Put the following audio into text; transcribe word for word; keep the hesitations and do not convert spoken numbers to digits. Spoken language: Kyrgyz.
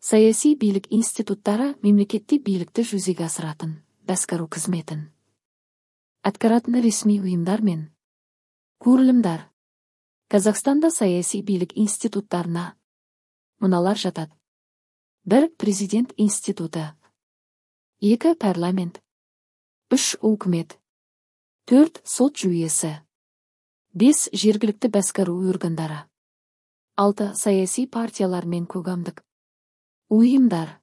Саясий бийлик институттары мемлекеттик бийликти жүзеге асыратын, баскаруу кызметін аткаратын ресми уюмдар мен курулумдар. Казакстанда саясий бийлик институттарына муналар жатат: бир Президент институту, эки Парламент, үч Өкмөт, төрт Сот жүйөсү, беш жергиликтүү баскаруу органдары, алты саясий партиялар мен коомдук уюмдар.